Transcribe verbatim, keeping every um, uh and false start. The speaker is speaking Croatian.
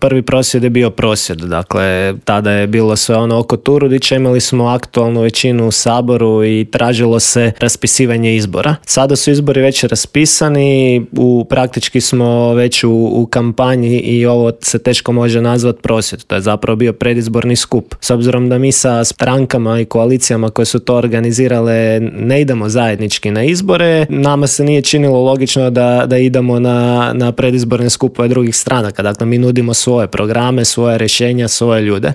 Prvi prosvjed je bio prosvjed, dakle tada je bilo sve ono oko Turudića, imali smo aktualnu većinu u Saboru i tražilo se raspisivanje izbora. Sada su izbori već raspisani, u, praktički smo već u, u kampanji i ovo se teško može nazvati prosvjed, to je zapravo bio predizborni skup. S obzirom da mi sa strankama i koalicijama koje su to organizirale ne idemo zajednički na izbore, nama se nije činilo logično da, da idemo na, na predizborne skupove drugih stranaka, dakle mi nudimo svoje programe, svoje rješenja, svoje ljude.